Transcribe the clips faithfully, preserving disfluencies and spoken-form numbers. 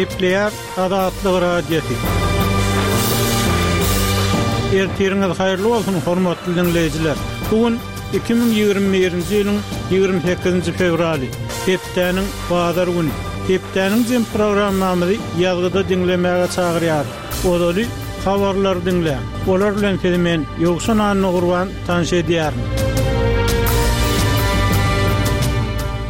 Gepleýär Azatlyk Radiosy. Ertiriňiz haýyrly bolsun, hormatly diňleýjiler. Bu gün iki müň ýigrimi birinji ýylyň ýigrimi sekizinji fewraly, hepdäniň bazar güni. Hepdäniň jem programmamyzy ýazgyda diňlemäge çagyrýarys. Ozaly habarlary diňläň. Olar bilen sizi men Ýowşan Annagurban tanyş edýärin.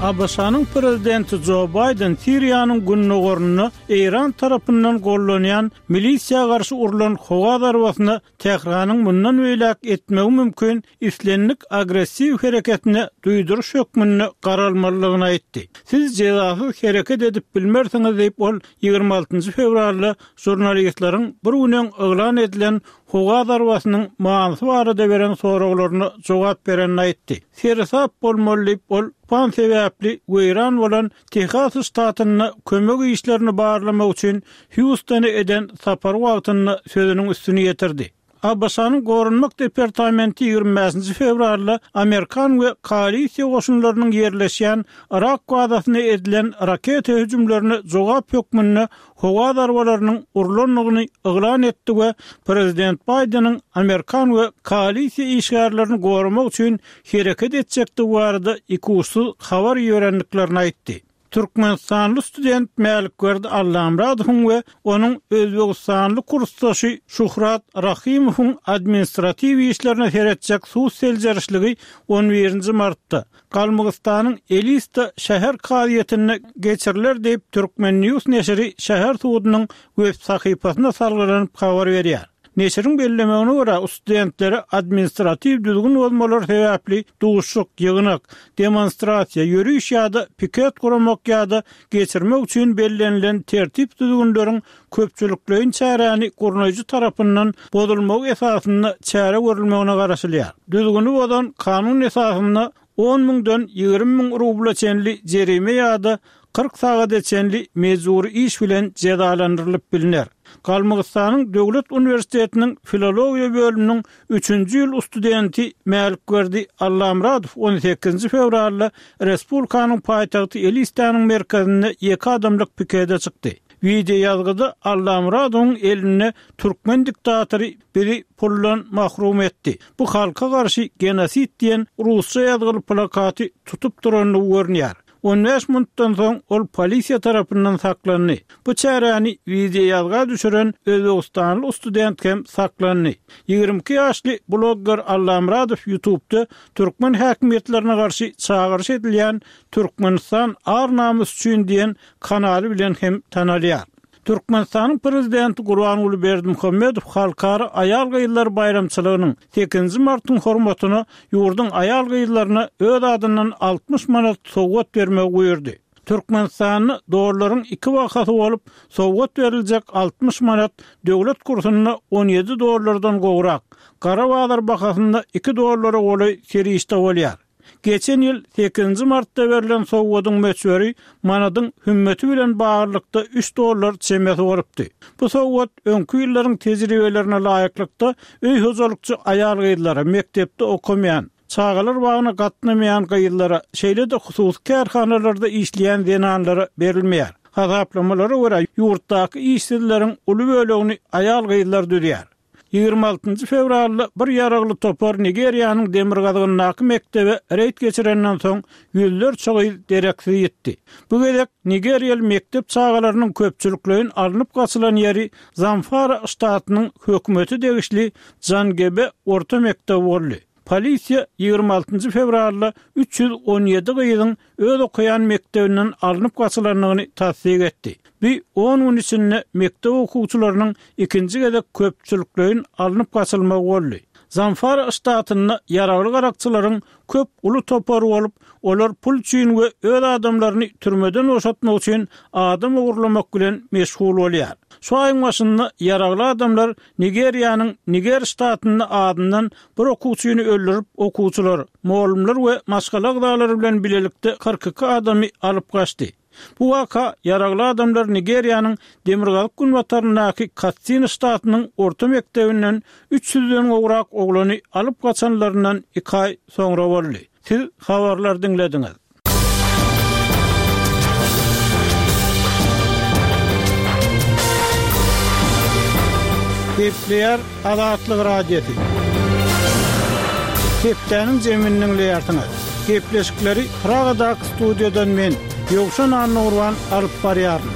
ABŞ-nyň prezidenti Jo Baýden Siriýanyň gündogarynda Eýran tarapyndan gollanýan milisiýa garşy urlan howa zarbasyna Tähranyň mundan beýläk etmegi mümkin islendik agressiw hereketine duýduryş hökmünde garalmalydygyny aýtdy. Siz jezasyz hereket edip bilmersiňiz diýip, ol ýigrimi altynjy fewralda žurnalistleriň bir gün öň yglan edilen howa zarbasynyň manysy barada beren soraglaryna jogap berenini aýtdy. Seresap bolmaly diýip, ol tupan sebäpli weýran bolan Tehas ştatynda kömek işlerini barlamak üçin Hýustona eden sapary wagtynda sözüniň üstüni ýetirdi. ABŞ-nyň Goranmak departamenti ýigrimi bäşinji fewralda amerikan we koalisiýa goşunlarynyň ýerleşýän Yrak bazasyna edilen raketa hüjümlerine jogap hökmünde howa zarbalarynyň urlandygyny yglan etdi we prezident Baýdeniň amerikan we koalisiýa işgärlerini goramak üçin hereket etjekdigi barada ikuçsuz habar iberendiklerini aýtdy. Türkmenistanly student Mälikberdi Allamyradowyň we onuň özbegistanly kursdaşy Şuhrat Rahymowyň administratiw işlerine seretjek sud seljerişligi on birinji martda Galmygystanyň Elista şäher kazyýetinde geçiriler diýip, Turkmen. News neşiri şäher sudunyň web sahypasyna salgylanyp habar berýär. Neşiriň bellemegine görä, studentlere administratiw düzgün bozmalary sebäpli duşuşyk, ýygnak, demonstrasiýa, ýöriş ýa-da piket guramak ýa-da geçirmek üçin bellenilen tertip-düzgünleriň köpçülikleýin çäräni gurnaýjy tarapyndan bozulmagy esasynda çäre görülmegine garaşylýar. Düzgüni bozan kanun esasynda on müňden ýigrimi müň rubla çenli jerime ýa-da kyrk sagada çenli mejbury iş bilen jezalandyrylyp bilner. Galmygystanyň Döwlet uniwersitetiniň filologiýa bölüminiň üçünji ýyl studenti Mälikberdi Allamyradow on sekizinji fewralda respublikanyň paýtagty Elistanyň merkezinde ýeke adamlyk pikete çykdy. Wideoýazgyda Allamyradowyň elinde türkmen diktatory bizi puldan mahrum etdi. Bu halka garşy genosid diýen rusça ýazgyly plakaty tutup durandygy görünýär. On bäş minutdan soň ol polisiýa tarapyndan saklandy. Bu çäräni wideoýazga düşüren özbegistanly student hem saklandy. Ýigrimi iki ýaşly blogger Allamyradow YouTube'da türkmen häkimiýetlerine garşy çagyryş edilýän Türkmenistan ar-namys üçin diýen kanaly bilen hem tanalýar. Türkmenistanyň Prezidenti Gurbanguly Berdimuhamedow Halkara aýal-gyzlar baýramçylygynyň sekizinji martyň hormatyna ýurduň aýal-gyzlaryna öz adyndan altmyş manat sowgat bermegi buýurdy. Türkmenistanda dollaryň iki bahasy bolup, sowgat beriljek altmyş manat döwlet kursunda on ýedi dollardan gowrak, gara bazar bahasynda iki dollara golaý serişde bolýar. Geçen ýyl sekizinji martda berlen sowgadyň möçberi manadyň hümmeti bilen baglylykda üç dollar çemesi bolupdy. Bu sowgat öňki ýyllaryň tejribelerine laýyklykda öý hojalykçy aýal-gyzlara, mekdepde okamaýan, çagalar bagyna gatnamaýan gyzlara, şeýle-de hususy kärhanalarda işleýän zenanlara berilmeýär. Hasaplamalara görä, ýurtdaky işsizleriň uly bölegini aýal-gyzlar düzýär. Ýigrimi altynjy fewralda bir ýaragly topar Nigeriýanyň demirgazygyndaky mekdebe reýd geçirenden soň ýüzlerçe gyz dereksiz ýitdi. Bu gezek nigeriýaly mekdep çagalarynyň köpçülikleýin alnyp gaçylan ýeri Zamfara ştatynyň hökümete degişli Jangebe orta mekdebi boldy. Polisiýa ýigrimi altynjy fewralda üç ýüz on ýedi gyzyň öz okaýan mekdebinden alnyp gaçylandygyny tassyk etdi. Bu on gün içinde mekdep okuwçylarynyň ikinji gezek köpçülikleýin alnyp gaçylmagy boldy. Zamfara ştatynda ýaragly garakçylaryň köp uly topary bolup, olar pul üçin we öz adamlaryny türmeden boşatmak üçin adam ogurlamak bilen meşgul bolýar. Şu aýyň başynda ýaragly adamlar Nigeriýanyň Niger ştatynda azyndan bir okuwçyny öldürip, okuwçylar, mugallymlar we maşgala agzalary bilen bilelikde kyrk iki adamy alyp gaçdy. Bu waka ýaragly adamlar Nigeriýanyň demirgazyk-günbataryndaky Katsina ştatynyň orta mekdebinden üç ýüzden gowrak oglany alyp gaçanlaryndan iki aý soňra boldy. Siz habarlary diňlediňiz. Gepleýär Azatlyk Radiosy. Hepdäniň jemini diňleýärsiňiz. Gepleşikleri Pragadaky studiýadan men, Ýowşan Annagurban alyp barýaryn.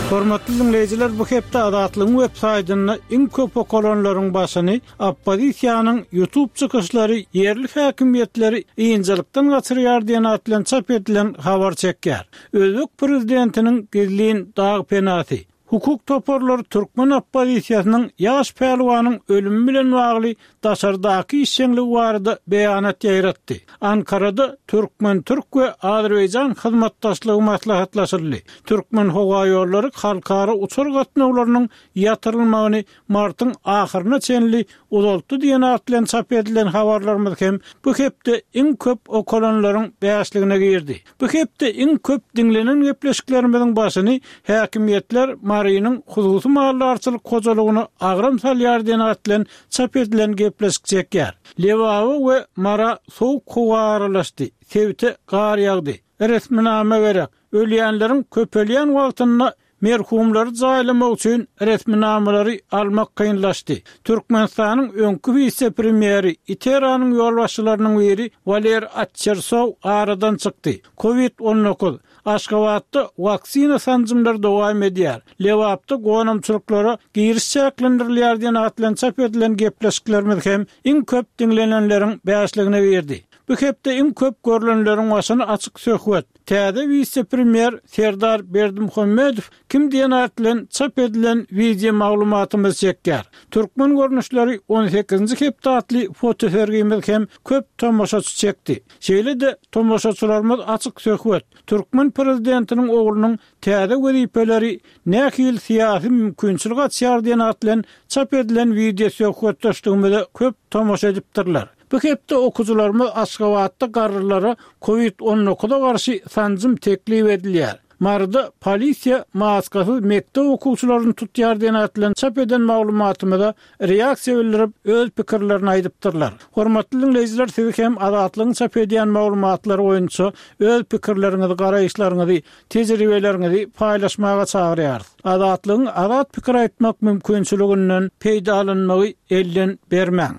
Hormatly diňleýjiler, bu hepde Azatlygyň web saýtynda iň köp okalanlaryň başyny Oppozisiýanyň YouTube çykyşlary ýerli häkimiýetleri ynjalykdan gaçyrýar diýen at bilen çap edilen habar çekýär. Özbek prezidentiniň gizlin dag penasy. Hukuk toparlary türkmen oppozisiýasynyň ýaş pälwanyň ölümi bilen bagly daşardaky işjeňligi barada beýanat ýaýratdy. Ankarada türkmen-türk we azerbaýjan hyzmatdaşlygy maslahatlaşyldy. Türkmenhowaýollary halkara uçar gatnawlarynyň ýatyrylmagyny martyň ahyryna çenli uzaltdy diýen at bilen çap edilen habarlarymyz hem bu hepde iň köp okalanlaryň bäşligine girdi. Bu hepde iň köp diňlenen gepleşiklerimiziň başyny häkimiýetler Marynyň hususy maldarçylyk hojalygyna agram salýar diýen at bilen çap edilen gepleşik çekýär. Lebaba we Mara sowuk howa aralaşdy, sebite gar ýagdy. Resminama gerek. Ölýänleriň köpelýän wagtynda merhumlary jaýlamak üçin resminamalary almak kynlaşdy. Türkmenistanyň öňki wise-premýeri, ITERA-nyň ýolbaşçylarynyň biri Waler Atçersow aradan çykdy. Covid on dokuz. Aşgabatda waksina sanjymlary dowam edýär. Lebapda gonamçylyklara giriş çäklendirilýär diýen at bilen çap edilen gepleşiklerimiz hem iň köp diňlenenleriň bäşligine girdi. Bu hepde iň köp görlenleriň başyny açyk söhbet. Täze wise-premýer Serdar Berdimuhamedow kim diýen at bilen çap edilen wideo maglumatymyz çekýär. Türkmen görnüşleri on sekizinji hepde atly fotosergimiz hem köp tomaşaçy çekdi. Şeýle-de tomaşaçylarymyz açyk söhbet. Türkmen prezidentiniň oglunyň täze wezipeleri nähili syýasy mümkinçilik açýar diýen at bilen çap edilen wideo söhbetdeşligimize köp tomaşa edipdirler. Bu hepde okyjylarymyz Aşgabatda garrylara Covid on dokuza garşy sanjym teklip edilýär. Maryda polisiýa maskasyz mekdep okuwçylaryny tutýar diýen at bilen çap eden maglumatymyza reaksiýa bildirip öz pikirlerini aýdypdyrlar. Hormatly diňleýjiler, sizi hem Azatlygyň çap edýän maglumatlary boýunça öz pikirleriňizi, garaýyşlaryňyzy, tejribeleriňizi paýlaşmaga çagyrýarys. Azatlygyň azat pikir aýtmak mümkinçiliginden peýdalanmagy elden bermäň.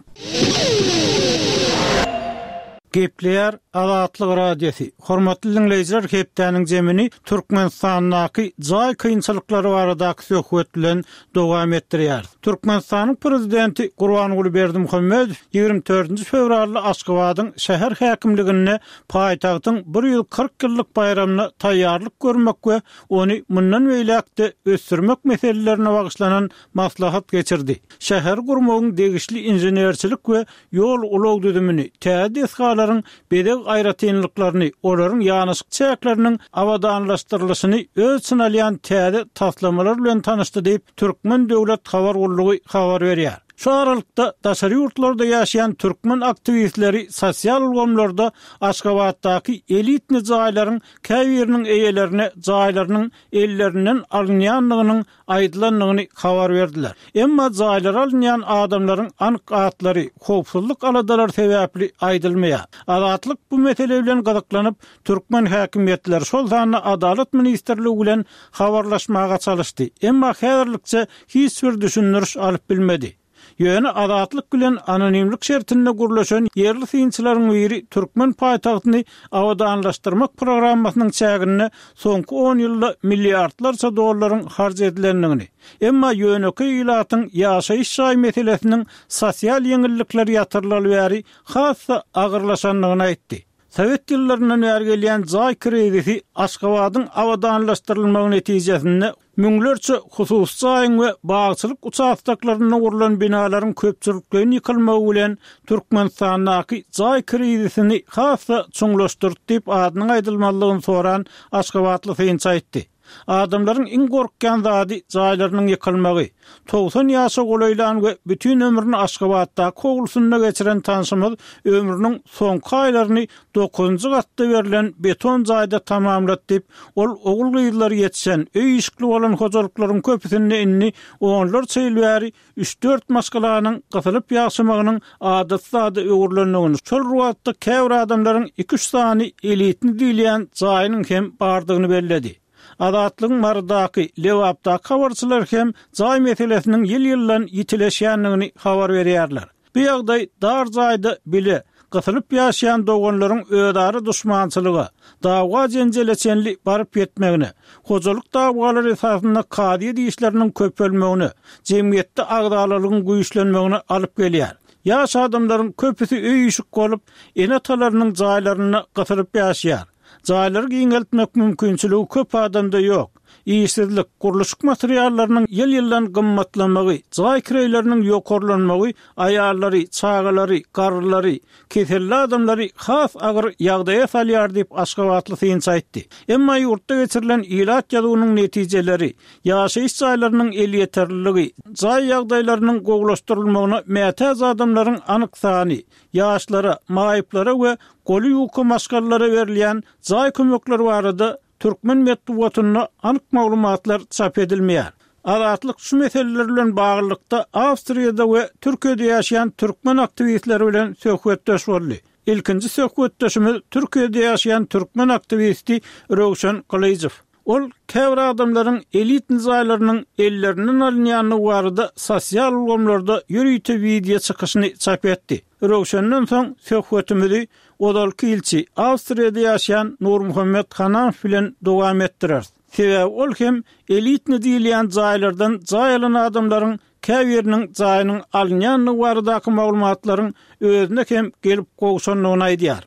Gepleýär Azatlyk Radiosy. Hormatly diňleýjiler, hepdäniň jemini Türkmenistandaky jaý kynçylyklary baradaky söhbet bilen dowam etdirýär. Türkmenistanyň prezidenti Gurbanguly Berdimuhamedow ýigrimi dördünji fewralda Aşgabadyň şäher häkimliginde paýtagtyň bir ýüz kyrk ýyllyk baýramyna taýýarlyk görmek we ony mundan beýläk-de ösdürmek meselelerine bagyşlanan maslahat geçirdi. Şäher gurmagyň degişli inženerçilik we ýol ulag düzümini, täze desgalaryň bezeg aýratynlyklaryny, olaryň ýanaşyk çäkleriniň abadanlaşdyrylyşyny öz içine alýan täze taslamalar bilen tanyşdy diýip, Türkmen döwlet habar gullugy habar berýär. Şu aralykda daşary ýurtlarda ýaşaýan türkmen aktiwistleri sosial ulgamlarda Aşgabatdaky elitni jaýlaryň käbiriniň eýelerine jaýlarynyň ellerinden alynýandygynyň aýdylandygyny habar berdiler. Emma jaýlary alynýan adamlaryň anyk atlary howpsuzlyk aladalary sebäpli aýdylmaýar. Azatlyk bu mesele bilen gyzyklanyp, türkmen häkimiýetleri, şol sanda Adalat ministrligi bilen habarlaşmaga çalyşdy. Emma häzirlikçe hiç bir düşündiriş alyp bilmedi. Ýöne Azatlyk bilen anonimlik şertinde gürleşen ýerli synçylaryň biri türkmen paýtagtyny abadanlaşdyrmak programmasynyň çäginde soňky on ýylda milliardlarça dollaryň harç edilendigini, emma ýönekeý ilatyň ýaşaýyş jaý meselesiniň sosial ýeňillikler ýatyrylaly bäri has-da agyrlaşandygyny aýtdy. Sowet ýyllaryndan bäri gelýän jaý krizisi Aşgabadyň abadanlaşdyrylmagy netijesinde müňlerçe hususy jaýyň we bagçylyk uçastoklarynda gurlan binalaryň köpçülikleýin ýykylmagy bilen Türkmenistandaky jaý krizisini has-da çuňlaşdyrdy diýip adynyň aýdylmazlygyny soran aşgabatly synçy aýtdy. Adamlaryň iň gorkýan zady jaýlarynyň ýykylmagy. Togsan ýaşa golaýlan we bütin ömrüni Aşgabatdaky howlusynda geçiren tanşymyz ömrüniň soňky aýlaryny dokuzynjy gatda berlen beton jaýda tamamlady diýip, ol ogul-gyzlary ýetişen, öý-işikli bolan hojalyklaryň köpüsinde indi onlarça ýyl bäri üç-dört maşgalanyň gysylyp ýaşamagynyň adaty zada öwrülendigini, şol bir wagtda käbir adamlaryň iki-üç sany elitni diýilýän jaýynyň hem bardygyny belledi. Azatlygyň Marydaky, Lebapdaky habarçylary hem jaý meselesiniň ýyl-ýyldan ýitileşýändigini habar berýärler. Bu ýagdaý dar jaýda bile gysylyp ýaşaýan doganlaryň özara duşmançylyga, dawa-jenjele çenli baryp ýetmegine, hojalyk dawalary esasynda kazyýet işleriniň köpelmegine, jemgyýetde agzalalygyň güýçlenmegine alyp gelýär. Ýaş adamlaryň köpüsi öý-işik bolup, ene-atalarynyň jaýlarynda gysylyp ýaşaýar. Jaýlary giňeltmek mümkinçiligi köp adamda ýok. Işsizlik, gurluşyk materiallarynyň ýyl-ýyldan gymmatlamagy, jaý kireýleriniň ýokarlanmagy aýallary, çagalary, garrylary, keselli adamlary has agyr ýagdaýa salýar diýip, aşgabatly synçy aýtdy. Emma ýurtda geçirilen ilat ýazuwynyň netijeleri, ýaşaýyş jaýlarynyň elýeterliligi, jaý ýagdaýlarynyň gowulaşdyrylmagyna mätäç adamlaryň anyk sany, ýaşlara, maýyplara we goly ýuka maşgalalara berilýän jaý kömekleri barada türkmen metbugatynda anyk maglumatlar çap edilmeýär. Azatlyk şu meseleler bilen baglylykda Awstriýada we Türkiýede ýaşaýan türkmen aktiwistleri bilen söhbetdeş boldy. Ilkinji söhbetdeşimiz Türkiýede ýaşaýan türkmen aktiwisti Röwşen Gylyjow. Ol käbir adamlaryň elitni jaýlarynyň ellerinden alynýandygy barada sosial ulgamlarda ýörite wideo çykyşyny çap etdi. Röwşenden soň söhbetimizi ozalky ilçi, Awstriýada ýaşaýan Nurmuhammet Hanamow bilen dowam etdireris. Sebäbi ol hem elitni diýilýän jaýlardan jaý alan adamlaryň käbiriniň jaýynyň alynýandygy baradaky maglumatlaryň özüne hem gelip gowşandygyny aýdýar.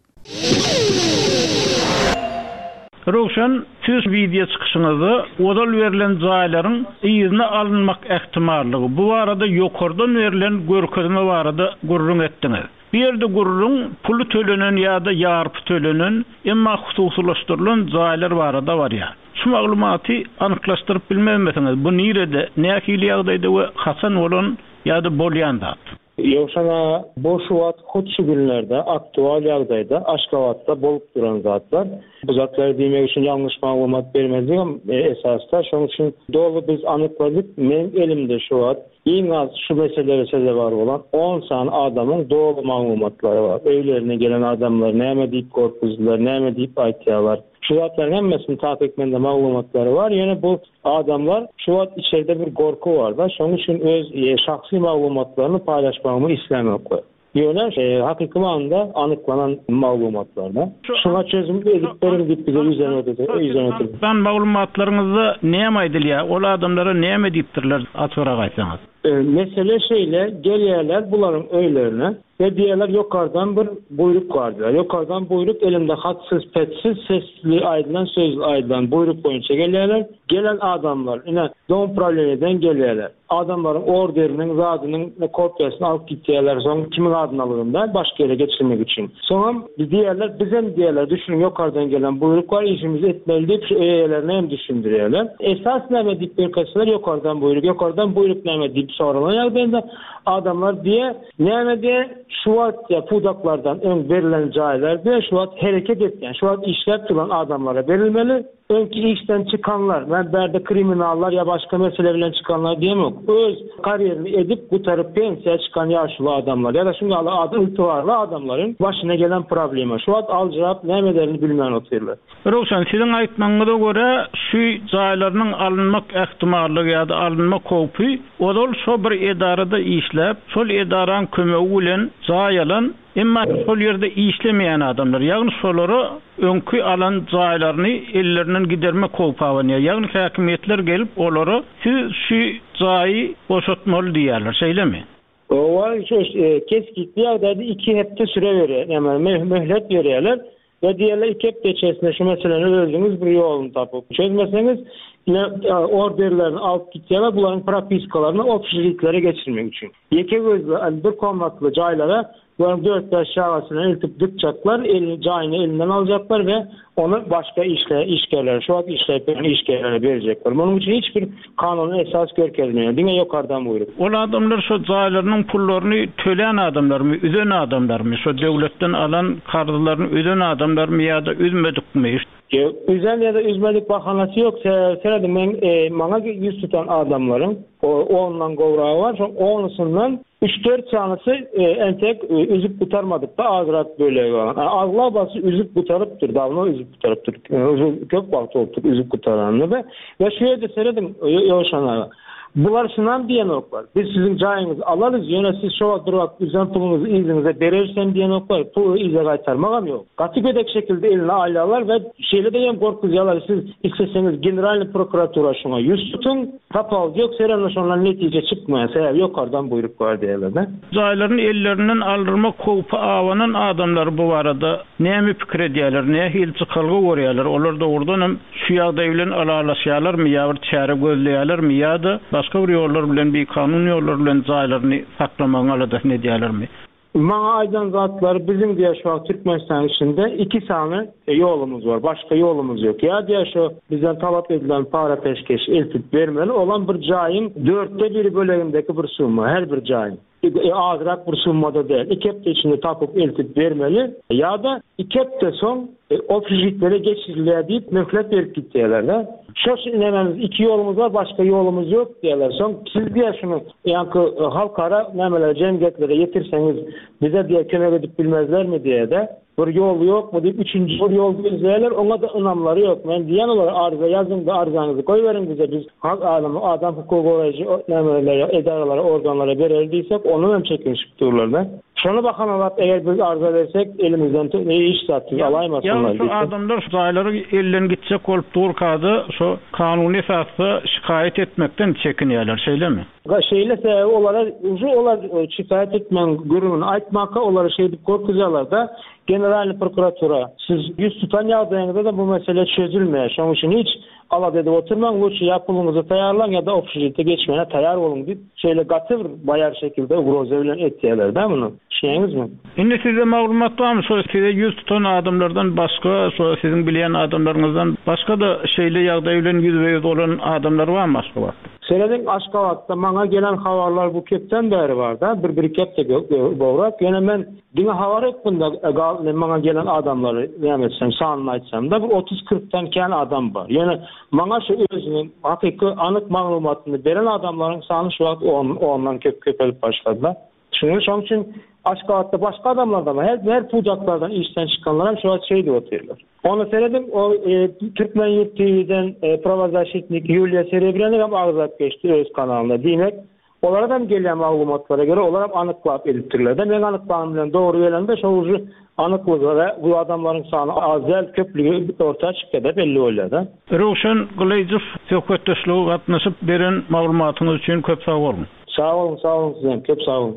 Röwşen, siz wideo çykyşyňyzda ozal berlen jaýlaryň yzyna alynmak ähtimallygy, bu barada ýokardan berlen görkezme barada gürrüň etdiňiz. Bu ýerde gürrüň puly tölenen ýa-da ýarpy tölenen, emma hususylaşdyrylan jaýlar barada barýar. Şu maglumaty anyklaşdyryp bilmezmisiňiz? Bu nirede, nähili ýagdaýda we haçan bolan ýa-da bolýan zat? Ýowşan aga, bu şu wagt hut şu günlerde aktual ýagdaýda Aşgabatda bolup duran zatlar. Bu zatlary diýmek üçin ýalňyş maglumat bermezligem esasda. Şonuň üçin doly biz anykladyk. Meň elimde şu wagt iň az şu meselelere sezewar bolan on sany adamyň doly maglumatlary bar. Öýlerine gelen adamlar näme diýip gorkuzdylar, näme diýip aýtýarlar. Şu zatlaryň hemmesini takyk mende maglumatlary bar. Ýöne bu adamlar şu wagt içeride bir gorky bar-da, şonuň üçin öz şahsy maglumatlaryny paýlaşmagymy islämoklar. Ýöne hakyky manyda anyklanan maglumatlarda. Şuňa çözüm edip beriň diýip bize ýüzlenip ötüdi, ýüzlenip ötüdi. Sen maglumatlaryňyzda näme aýdylýar? Ol adamlara näme diýipdirler? Açyrak aýtsaňyz. Mesele şeýle, gelýärler bularyň öýlerine we diýerler ýokardan bir buýruk bar diýär. Ýokardan buýruk elinde hatsyz, petsiz, sesli aýdylan, sözli aýdylan buýruk boýunça gelýärler. Gelen adamlar ine dom prawleniýeden gelýärler. Adamlaryň orderiniň, zadynyň kopiýasyny alyp gitýärler. Soň kimiň adyny alygynda başga ýere geçirmek üçin. Soňam diýerler, bizem diýerler, düşüniň ýokardan gelen buýruk bar, işimizi etmeli diýip şu eýelerine hem düşündirýärler. Esas näme diýip görkezseler ýokardan buýruk, ýokardan buýruk näme diýip soralan ýagdaýynda adamlar diýe, näme diýe, şu wagt ýa pudaklardan öň berlen jaýlar diýe, şu wagt hereket etýän, şu wagt işläp duran adamlara berilmeli. Öňki işden çykanlar, men bärde kriminallar ýa başga mesele bilen çykanlar diýemok. Öz karýerini edip gutaryp pensiýa çykan ýaşly adamlar ýa-da şuň ýaly ady ygtybarly adamlaryň başyna gelen problema. Şu wagt aljyrap näme ederini bilmän otyrlar. Röwşen, siziň aýtmagyňyza görä, şu jaýlarynyň alynmak ähtimallygy ýa-da alynmak howpy ozal şo bir edarada işläp, şol edaraň kömegi bilen jaý alan, emma şol ýerde işlemeýän adamlar, ýagny şolara öňki alan jaýlaryny ellerinden gidermek howpy abanýar. Ýagny häkimiýetler gelip olara siz şu jaýy boşatmaly diýýärler, şeýlemi? Owa, şu kesgitli ýagdaýda iki hepde süre berýär, ýagny möhlet berýärler. We diýerler iki hepde içerisinde şu meseleni özüňiz bir ýoluny tapyp çözmeseňiz, ine orderlerini alyp gitýärler, bularyň propiskalaryny obşežitlere geçirmek üçin. Ýeke gözli, yani bir komnatly jaýlara bularyň dört bäş çagasyny eltip dykjaklar, elini jaýyny elinden aljaklar we ony başga işle, işgärlere, şu wagt işläp ýören işgärlere berecekler. Munuň üçin hiç bir kanuny esas görkezmeýär, diňe ýokardan buýruk. Ol adamlar şu jaýlarynyň pullaryny tölän adamlarmy, üzen adamlarmy, şu döwletden alan karzlaryny üzen adamlarmy ýa-da üzmedikmi? Üzen ýa-da üzmedik bahanasy ýok. Sebäbi men maňa ýüz tutan adamlaryň ondan gowragy bar. Şoň onusyndan üç-dört sanysy entek üzüp gutarmadyk da azrak bölegi bar. Aglabasy üzüp gutarypdyr, dawno üzüp gutarypdyr. Uzun köp wagt bolupdyr üzüp gutaranyna da. We şu ýerde serediň Ýowşan aga. Bular şunam diýenoklar. Biz siziň jaýyňyzy alarys, ýöne siz şo wagt bir wagt üzen puluňyzy yzyňyza berersen diýenoklar. Puly yza gaýtarmagam ýok. Gaty gödek şekilde eline alýarlar we şeýle de hem gorkuzýarlar. Siz isleseňiz Generalny prokuratura şoňa ýüz tutuň, tapawut ýok, seremle şondan netije çykmaýar. Sebäbi ýokardan buýruk bar diýerler. Jaýlaryny ellerinden aldyrmak howpy abanan adamlar bu barada näme pikir edýärler, nähili çykalga görýärler? Olar dogrudan hem şu ýagdaý bilen alalaşýarlarmy ýa bir çäre gözleýärlermi ýa-da başga bir ýollar bilen, bir kanun ýollar bilen jaýlaryny saklamagyň aladasyny edýärlermi? Maňa aýdan zatlar biziň diýe şu wagt Türkmenistanyň içinde iki sany ýolumyz bar. Başga ýolumyz ýok. Ýa diýe şu bizden talap edilen para peşkeş eltip bermeli olan bir jaýyň dörtde biri bölegindäki bir summa her bir jaýyň. E, azrak bir summada däl. Iki hepde içinde tapyp eltip bermeli ýa-da iki hepde soň e, obşejitlere geçirilýär diýip möhlet berip gitýärler da. Şo nämemiz iki ýolumyz bar, başga ýolumyz ýok diýerler. Soň siz diýe şunu ýaňky e, halkara nämeler jemgyýetlere ýetirseňiz bize diýe kömek edip bilmezlermi diýe de. Bir ýol ýok mu diýip üçünji bir ýol gözleýärler, oňa da ynamlary ýok. Men diýen olar arza ýazyň da arzaňyzy goýberiň bize biz hak alamy adam hukugy goraýjy nämelere, edaralara, organlara bereli diýsek, onu hem çekinişip dururlar da. Şonu bakanalap eger biz arza versek elimizden ne iş zatsyz alaýmasynlar Ýa şu adamlar jaýlary elden gitjek bolup durkada şu kanuny esasda şikaýat etmekden çekinýärler, şeýlemi? Şeýle sebäbi olara uju olar e, şikaýat etmeň gürrüňini aýtmaka olara şeýdip gorkuzýarlar da Generalny prokuratura siz ýüz tutan ýagdaýyňyzda da bu mesele çözülmeýär. Şonuň üçin hiç alada edip oturmaň, lütfen ýa puluňyzy taýýarlaň ýa-da obşejite geçmäne taýýar boluň diýip, şeýle gaty bir baýar şekilde ugroza bilen etýärler da muny. Düşünýäňizmi? Indi size maglumat barmy? Şo size ýüz tutan adamlardan başga, şo siziň bilýän adamlaryňyzdan başga da şeýle ýagdaý bilen ýüzbe-ýüz bolan adamlar barmy Aşgabatda? Serediň Aşgabatda maňa gelen habarlar bu köpden bäri bar da, bir bir hepde gowrak. Ýöne men diňe habar etdim da maňa gelen adamlary näme etsem, sanyny aýtsam da bir otuz kyrkdan kän adam bar. Ýöne maňa şu özüniň hakyky anyk maglumatyny beren adamlaryň sany şu wagt on, ondan köp köpelip başlady da. Şunuň şonuň üçin Aşgabatda başga adamlar da var. Her, her pudaklardan işden çykanlar hem şu wagt şey diýip otyrlar. Onu seredim, o e, Türkmen Yurt T V'den e, pravozaşitnik Yuliya Serebryanı hem agzap geçdi öz kanalynda. Diýmek, olara da gelýän maglumatlara göre olar hem anyklap edipdirler. De men anyklagym bilen dogry gelende şo uju anyklyga bu adamlaryň sany az däl köplügi orta çykdy da belli bolýar da. Röwşen Gylyjow söhbetdeşlige gatnaşyp beren maglumatyňyz üçin köp sag boluň. Sag boluň, sag boluň sizem, köp sag boluň.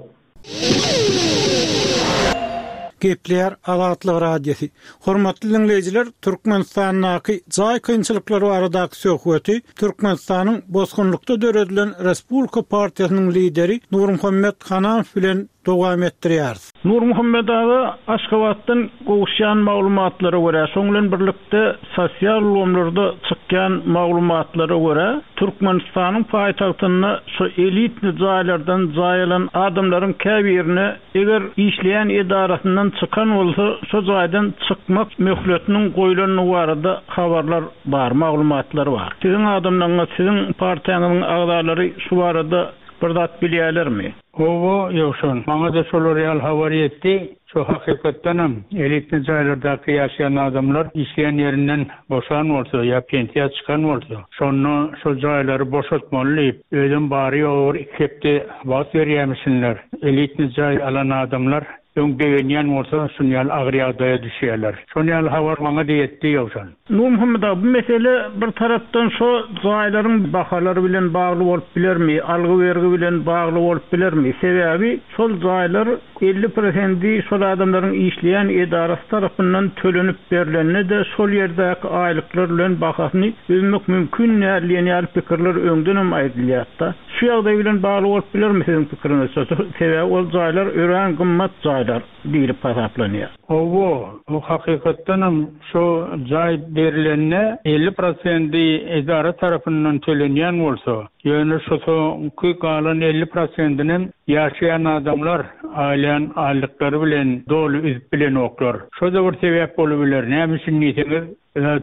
Gepler Azatlyk Radiosy. Hormatly dinleýjiler, Türkmenistandaky jaý kynçylyklary baradaky söhbeti Türkmenistanyň bosgunlykda döredilen Respublika partiýasynyň lideri Nurmuhammet Hanamow bilen dowam etdirýäris. Nurmuhammet aga Aşgabatdan gowuşýan maglumatlara görä, şoň bilen birlikde sosial ulgamlarda çykýan maglumatlara görä, Türkmenistanyň paýtagtynda şu elitli jaýlardan jaý alan adamlaryň käbirine eger işleýän edarasyndan çykan bolsa, şu jaýdan çykmak möhletiniň goýulany barada habarlar bar, maglumatlar bar. Siziň adamlaryňyz, siziň partiýaňyzyň agzalary şu barada bir zat bilýärlermi? Owa, ýokşan. Maňa da şolar ýaly habar ýetdi. Şu hakykatdanam elitli jaýlardaky ýaşaýan adamlar işleýän ýerinden boşan bolsa ýa pensiýa çykan bolsa, şonda şo jaýlary boşatmaly diýip, özüm bary ýogy bir iki hepde wagt berýärmişinler. Elitli jaý alan adamlar öň begenýän bolsa, şun ýaly agyr ýagdaýa düşýärler. Şon ýaly habar maňa da ýetdi ýokşan. Nurmuhammet aga, bu mesele bir tarapdan şo jaýlaryň bahalary bilen bagly bolup bilermi, algy bergi bilen bagly bolup bilermi? Sebäbi şol jaýlar elli prosenti şol adamlaryň işleýän edarasy tarapyndan tölenip berlende de şol ýerdäki aýlyklar bilen bahasyny üzmek mümkin däl diýen ýaly pikirler öňden hem aýdylýar-da. Şu ýagdaý bilen bagly bolup bilermi siziň pikiriňizçe? Sebäbi ol jaýlar örän gymmat jaýlar. jaýlar diýlip hasaplanýar. Hawa, bu hakykatdanam şo jaý berilende elli prosendi edara tarapyndan tölenýän bolsa, ýöne şo soňky galan elli prosendinem ýaşaýan adamlar alýan aýlyklary bilen doly üzüp bilenoklar. Şo da bir sebäp bolup biler. Näme üçin diýseňiz,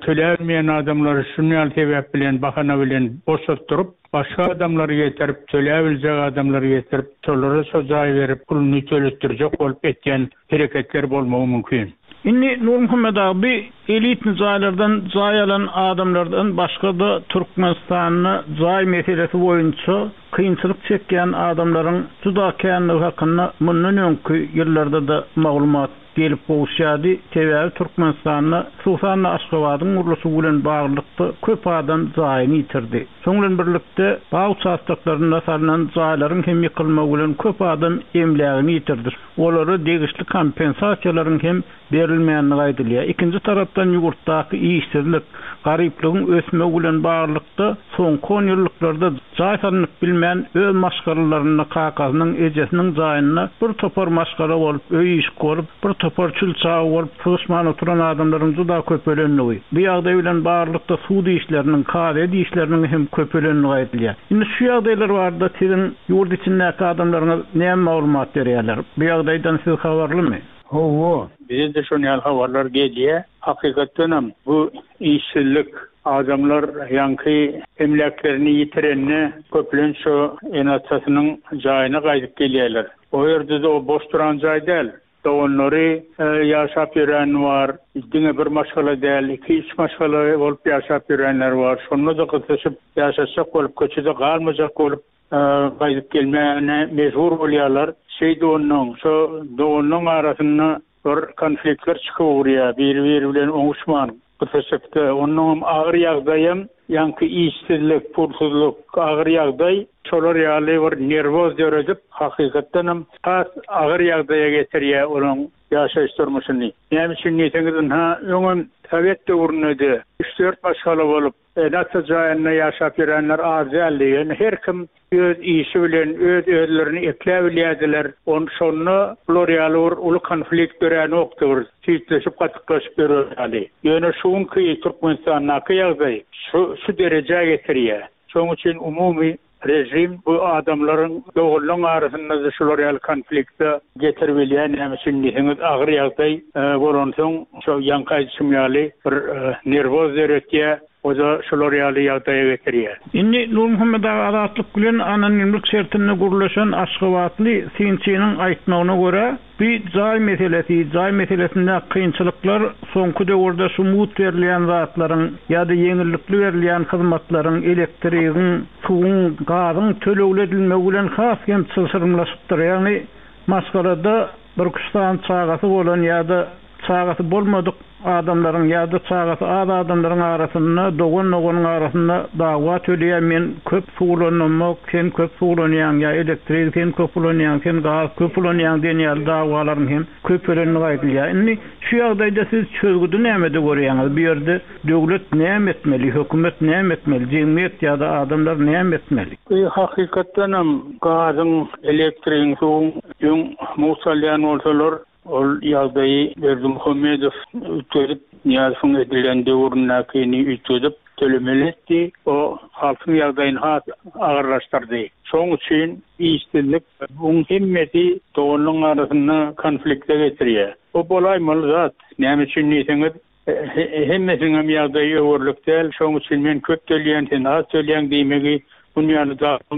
töläbilmeýän adamlary şuny ýaly sebäp bilen, bahana bilen boşatdyryp, başga adamlary getirip, töläbiljek adamlary getirip, şolara şo jaý berip, puluny töletdirjek bolup etýän hereketler bolmagy mümkin. Indi Nurmuhammet abi elitni jaýlardan jaý alan adamlardan başga da Türkmenistanda jaý meselesi boýunça kynçylyk çekýän adamlaryň juda känligi hakynda mundan öňki ýyllarda da maglumat gelip gowuşýardy. Sebäbi Türkmenistanda, hususan Aşgabadyň gurluşygy bilen baglylykda köp adam jaýyny ýitirdi. Şonuň bilen birlikde bag uçastaklarynda salynan jaýlaryň hem ýykylmagy bilen köp adam emlägini ýitirdi. Olara degişli kompensasiýalaryň hem berilmänligi aýdylýar. Ikinji tarapdan ýurtdaky işsizlik, garyplygyň ösmegi bilen baglylykda soňky on ýyllyklarda jaý salynyp bilmän öz maşgalalarynda kakasynyň, ejesiniň jaýynda bir topar maşgala bolup, öý işik bolup, bir topar çül çaga bolup sygyşman oturan adamlaryň juda köpelenligi. Bu ýagdaý bilen baglylykda sud işleriniň, kazyýet işleriniň hem köpelenligi aýdylýar. Indi şu ýagdaýlar barada siziň ýurt içindäki adamlaryňyz näme maglumat berýärler? Bu ýagdaýdan siz habarlymy? Hawa, bize de şony ýaly habarlar gelýär. Hakykatdanam bu işsizlik, adamlar ýaňky emläklerini ýitirende köplenç şo ene-atasynyň jaýyna gaýdyp gelýärler. O ýerde de o boş duran jaý däl. Doganlary, e, ýaşap ýören bar, diňe bir maşgala däl, iki üç maşgala bolup ýaşap ýörenler bar. Şonda da gysyşyp ýaşaşjak bolup, köçede galmajak bolup, e, gaýdyp gelmäne mejbur bolýarlar. Şeýdi ondan, şo doganlaryň arasynda bir konfliktler çykyp urýar, biri-biri bilen oňuşman gysyşypdy. Ondan agyr ýagdaýam, ýaňky işsizlik, pulsuzlyk, agyr ýagdaý şolar ýaly bir nerwoz döredip, hakykatdanam has agyr ýagdaýa getirýär onuň ýaşaýyş durmuşyny. Näme üçin diýseňiz, ynha, öňem Sowet döwründe üç dört maşgala bolup, ene-ata jaýynda ýaşap ýörenler az däldi. Ýöne her kim öz işi bilen öz özlerini ekläbilýärdiler. On şonda bular ýaly bir uly konflikt döränokdy, bir süýtleşip, gatyklaşyp ýörerdi. Ýöne şu günki Türkmenistandaky ýagdaý şu, şu derejä getirýär. Şonuň üçin umumy rejim bu adamlaryň doganlaryň arasynda da şular ýaly konflikte getirip bilýär. Näme üçin diýseňiz, agyr ýagdaý, e, bolansoň şo ýaňky aýdyşym ýaly bir, e, nerwoz döretýär. O da şular ýaly ýagdaýa getirýär. Indi Nurmuhammet aga Azatlyk bilen anonimlik şertinde gurlaşan Aşgabatly synçynyň aýtmagyna görä, bir jaý meselesi, jaý meselesinde kynçylyklar soňky döwürde şu mugt berilýän zatlaryň ýa-da ýeňillikli berilýän hyzmatlaryň, elektrigiň, suwuň, gazyň tölegli edilmegi bilen has hem çylşyrymlaşypdyr. Ýagny maşgalada bir üç sany çagasy bolan ýa-da çagasy bolmadyk adamlaryň ýa-da çagasy az adamlaryň arasynda, dogan-doganyň arasynda dawa töleýär. Men köp suw ulanmak, sen köp suw ulanýaň ýa elektrik sen köp ulanýaň, sen gaz köp ulanýaň diýen ýaly dawalaryň hem köpelenligi aýdylýar. Indi şu ýagdaýda siz çözgüdi nämede görýäňiz? Bu ýerde döwlet näme etmeli, hökümet näme etmeli, jemgyýet ýa-da adamlar näme etmeli? Bu hakykatdanam gazyň, elektrigiň, suwuň öň mugt alýan bolsalar, ol ýagdaýy Berdimuhamedow üýtgedip, Nyýazowyň edilen döwründäkini üýtgedip tölemeli etdi. O halkyň ýagdaýyny has agyrlaşdyrdy. Şonuň üçin işsizlik buň hemmesi doganlaryň arasynda konflikte getirýär. O bolaýmaly zat. Näme üçin diýseňiz, hemmesiniň hem ýagdaýy öwürlik däl. Şonuň üçin men köp töleýän, sen az töleýän diýmegi bunun ýaly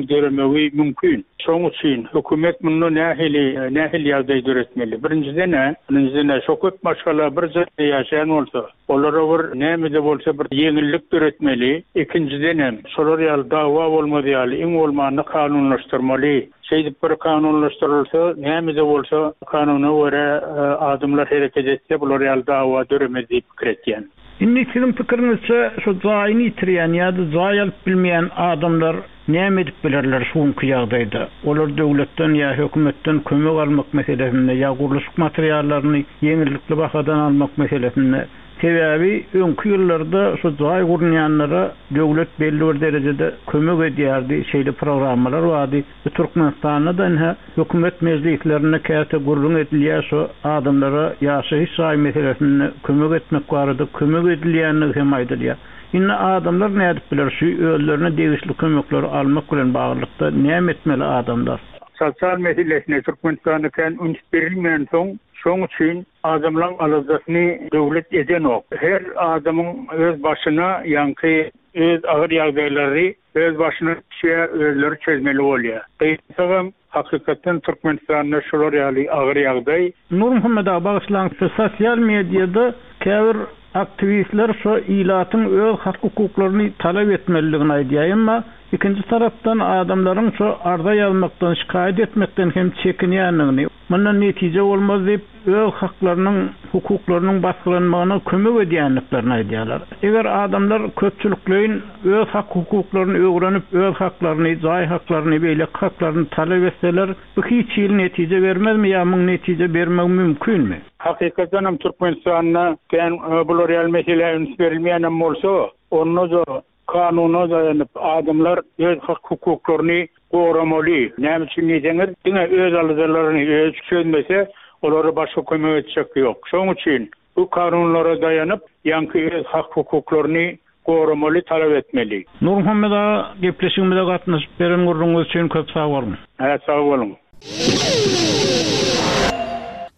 döremegi mümkin. Şonuň üçin hökümet munda nähili, nähili ýagdaý döretmeli? Birinjiden, birinjiden şo köp maşgala bir jaýda ýaşaýan bolsa, olara bir näme-de bolsa bir ýeňillik döretmeli. Ikinjiden hem şolar ýaly dawa bolmaz ýaly iň bolmanda kanunlaşdyrmaly. Şeýdip bir kanunlaşdyrylsa, näme-de bolsa kanuna görä, e, adamlar hereket etse, bular ýaly dawa döremez diýip pikir etýän. Indi siziň pikiriňizçe şu jaýyny ýitirýän ýa-da jaý alyp bilmeýän adamlar Näme edip bilerler şu günki ýagdaýda? Olar döwletden ýa hökümetden kömek almak meselesinde ýa gurluşyk materiallaryny ýeňillikli bahadan almak meselesinde Sebäbi öňki ýyllarda şu jaý gurnaýanlara döwlet belli bir derejede kömek edýärdi, şeýle programmalar bardy. Bu Türkmenistanda da ine hökümet mejlislerinde käte gürrüň edilýär şu adamlara ýaşaýyş jaý meselesinde kömek etmek barada kömek edilýänligi hem aýdylýar. Indi adamlar nädip biler şu özlerine degişli kömekleri almak bilen baglylykda näme etmeli adamlar? Sosial meselesine Türkmenistanda kän üns berilmeýän soň, şoň üçin adamlaryň aladasyny döwlet edenok. Her adamyň öz başyna ýaňky öz agyr ýagdaýlary öz başyna düşýär, özleri çözmeli bolýar. Gynansagam hakykatdan Türkmenistanda şolar ýaly agyr ýagdaý. Nurmuhammet aga bagyşlaň, şu sosial mediada käbir aktiwistler şu ilatyň öz hak hukuklaryny talap etmelidigini aýdýar. Emma ikinji tarapdan adamlaryň şu arza ýazmakdan, şikaýat etmekden hem çekinýändigini, mundan netije bolmaz diýip, öz haklarynyň, hukuklarynyň basgylanmagyna kömek edýändiklerini aýdýarlar. Eger adamlar köpçülikleýin öz hak hukuklaryny öwrenip, öz haklaryny, jaý haklaryny, beýleki haklaryny talap etseler, bu hiç hili netije bermezmi ýa muň netije bermegi mümkinmi? Hakykatdan hem Türkmenistanda kän, e, bular ýaly mesele üns berilmeýän hem bolsa, onda da kanuna daýanyp adamlar öz hak hukuklaryny goramaly. Näme üçin diýseňiz, diňe öz aladalaryny öz çözmese, olara başga kömek etjek ýok. Şoň üçin bu kanunlara daýanyp, ýaňky öz hak hukuklaryny goramaly, talap etmeli. Nurmuhammet aga, gepleşigimize gatnaşyp beren gürrüňiz üçin köp sag boluň. Ha, sag boluň.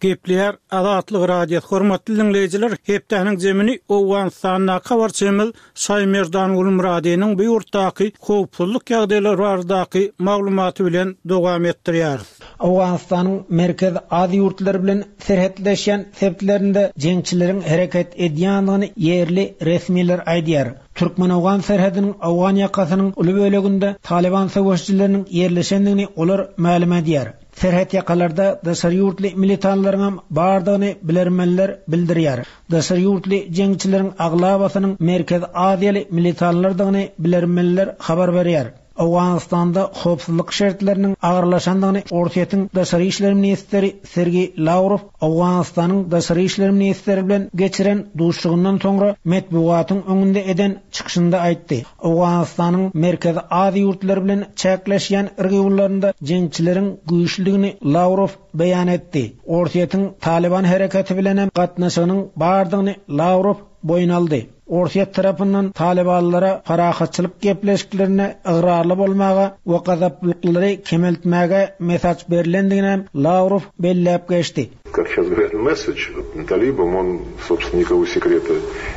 Gepleýär Azatlyk Radiosy hormatly dinleýjiler, hepdäniň zemini Owganystandaky habarçymyz Şaýmerdan Gulmuradynyň bu ýurtdaky howpsuzlyk ýagdaýlary baradaky maglumaty bilen dowam etdirýäris. Owganystanyň Merkez Aziýa ýurtlary bilen serhetleşýän sebitlerinde jeňçileriň hereket edýändigini ýerli resmiler aýdýar. Türkmen-Owgan serhediniň Owgan ýakasynyň uly böleginde Taliban söweşçileriniň ýerleşendigini olar mälim edýär. Serhet ýakalarda daşary ýurtly militanlaryň bardygyny bilermenler bildirýär. Daşary ýurtly jeňçileriň aglabasynyň Merkez Aziýaly militanlardygyny bilermenler habar berýär. Owganystanda howpsuzlyk şertleriniň agyrlaşandygyny Orsýetiň Daşary işler ministri Sergey Lawrow Owganystanyň Daşary işler ministri bilen geçiren duşuşygyndan soňra metbugatyň öňünde eden çykyşynda aýtdy. Owganystanyň Merkezi Aziýa ýurtlary bilen çäkleşýän regionlarynda jeňçileriň güýçlüdigini Lawrow beýan etdi. Orsýetiň Taliban hereketi bilen hem gatnaşygynyň bardygyny Lawrow boýun aldy. Orsýet tarapyndan Talibanlara parahatçylyk gepleşiklerine ygrarly bolmaga we gazaplyklary kemeltmäge mesaj berilendigini Lawrow belläp geçdi. Как сейчас говорят, месседж талибам, он, собственно, никакого секрета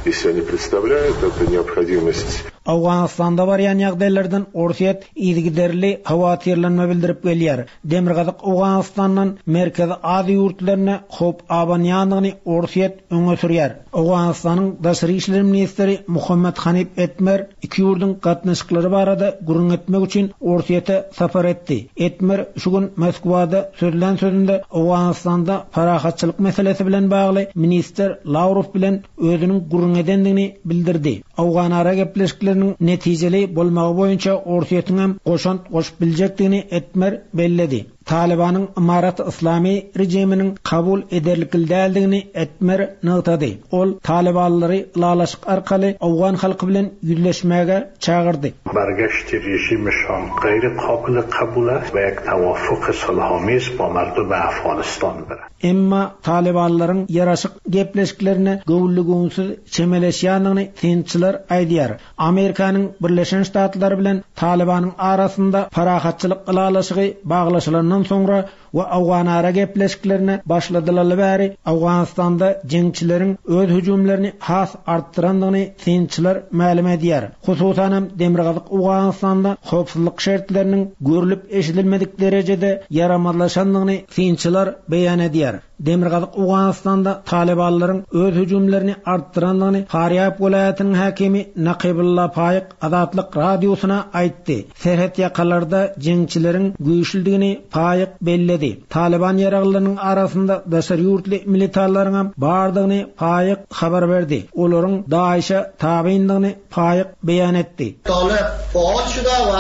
из себя не представляет. Это необходимость Owganystanda barýan ýagdaýlardan Orsýet yzygiderli howatyrlanma bildirip gelýär. Demirgazyk Owganystandan Merkezi Aziýa ýurtlaryna howp abanýandygyny Orsýet öňe sürýär. Owganystanyň Daşary işler ministri Muhammet Hanif Etmer iki ýurduň gatnaşyklary barada gürrüň etmek üçin Orsýete sapar etdi. Etmer şu gün Moskwada sözlän sözünde Owganystanda parahatçylyk meselesi bilen bagly ministr Lawrow bilen özüniň gürrüň edendigini bildirdi. Owganara gepleşikleriniň netijeli bolmagy boýunça Orsýetiň hem goşant goşup biljekdigini Etmer belledi. Talibanyň Imarat Islami rejiminiň kabul ederlikli däldigini Etmer nygtady. Ol Talibanlary ylalaşyk arkaly Owgan halky bilen ýüzleşmäge çagyrdy. برگشت رژیمشان غیر قابل قبول است و یک توافق صلحآمیز با مردم افغانستان بره. Emma Talibanlaryň ýaraşyk gepleşiklerine göwünli-göwünsiz çemeleşýändigini synçylar aýdýar. Amerikanyň Birleşen Ştatlary bilen Talibanyň arasynda parahatçylyk ylalaşygy baglaşylandan soňra we Owganara gepleşiklerine başladylaly bäri Owganystanda jeňçileriň öz hüjümlerini has artdyrandygyny synçylar mälim edýär. Hususan hem Demirgazyk Owganystanda howpsuzlyk şertleriniň görülip eşidilmedik derejede ýaramazlaşandygyny synçylar beýan edýär. Demirgazyk Owganystanda Talibanlaryň öz hüjümlerini artdyrandygyny Farýab welaýatynyň häkimi Nakibulla Paýyk Azatlyk radiosyna aýtdy. Serhet ýakalarda jeňçileriň güýçlüdigini Paýyk belledi. Taliban ýaraglylarynyň arasynda daşary ýurtly militarlaryň hem bardygyny Paýyk habar berdi. Olaryň DAEŞ-e tabyndygyny Paýyk beýan etdi. طالب فعال شده و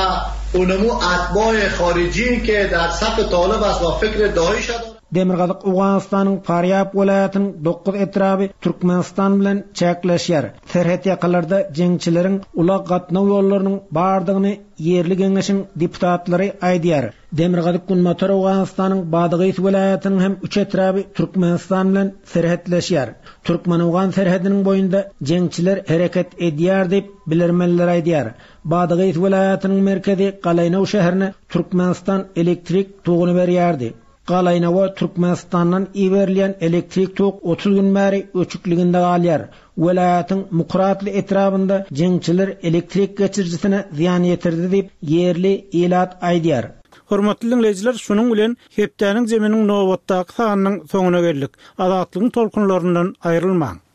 اونمو اتباع خارجی که در صف طالب است و فکر داعش دارد. Demirgazyk Owganystanyň Farýab welaýatynyň dokuz etraby Türkmenistan bilen çäkleşýär. Serhet ýakalarda jeňçileriň ulag gatnaw ýollarynyň bardygyny ýerli geňeşiň deputatlary aýdýar. Demirgazyk-Günbatar Owganystanyň Badagys welaýatynyň hem üç etraby Türkmenistan bilen serhetleşýär. Türkmen-owgan serhediniň boýunda jeňçiler hereket edýär diýip, bilermenler aýdýar. Badagys welaýatynyň merkezi Galaýnow şäherine Türkmenistan elektrik toguny berýärdi. Galaýnowa Türkmenistandan iberilýän elektrik tok otuz gün bäri öçükliginde galýar. Welaýatyň Mukratly etrabynda jeňçiler elektrik geçirijisine zyýan ýetirdi diýip, ýerli ilat aýdýar. Hormatly diňleýjiler, şunuň bilen hepdäniň zeminiň nobatdaky sanynyň soňuna geldik. Azatlygyň tolkunlaryndan aýrylmaň.